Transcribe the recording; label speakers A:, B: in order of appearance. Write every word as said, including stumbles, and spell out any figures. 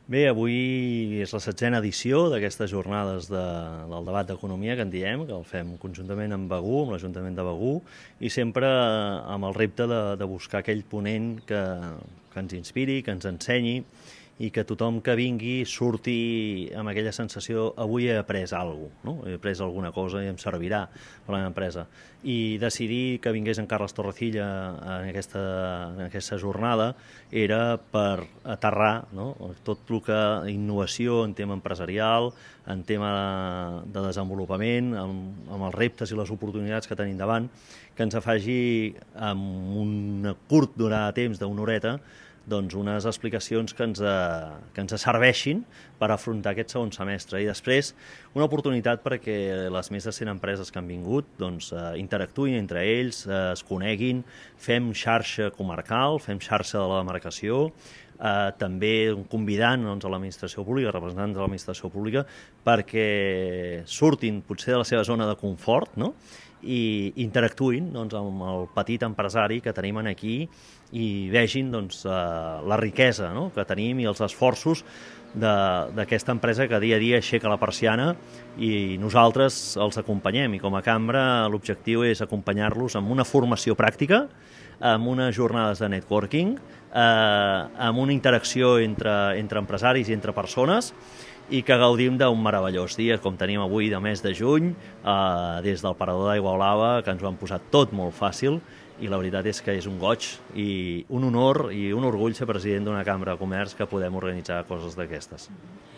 A: Bé, avui és la setzena edició d'aquestes jornades de, del debat d'economia que en diem, que el fem conjuntament amb Begur, amb l'Ajuntament de Begur, i sempre amb el repte de, de buscar aquell ponent que, que ens inspiri, que ens ensenyi, i que tothom que vingui surti amb aquella sensació avui he après alguna cosa, no? He après alguna cosa i em servirà per a la meva empresa. I decidir que vingués en Carles Torrecilla en aquesta, en aquesta jornada era per aterrar, no? Tot el que innovació en tema empresarial, en tema de, de desenvolupament, amb, amb els reptes i les oportunitats que tenim davant, que ens faci amb un curt durada de temps d'una horeta doncs unes explicacions que ens, que ens serveixin per afrontar aquest segon semestre. I després una oportunitat perquè les més de cent empreses que han vingut doncs, interactuïn entre ells, es coneguin, fem xarxa comarcal, fem xarxa de la demarcació, eh, també convidant doncs, a l'administració pública, representants de l'administració pública, perquè surtin potser de la seva zona de confort, no? I interactuïn doncs, amb el petit empresari que tenim aquí i vegin doncs, la riquesa, no?, que tenim i els esforços d'aquesta empresa que dia a dia aixeca la persiana i nosaltres els acompanyem. I com a cambra l'objectiu és acompanyar-los amb una formació pràctica, amb unes jornades de networking, eh, amb una interacció entre, entre empresaris i entre persones, i que gaudim d'un meravellós dia, com tenim avui de mes de juny, eh, des del parador d'Aigua Blava, que ens ho han posat tot molt fàcil, i la veritat és que és un goig i un honor i un orgull ser president d'una cambra de comerç que podem organitzar coses d'aquestes.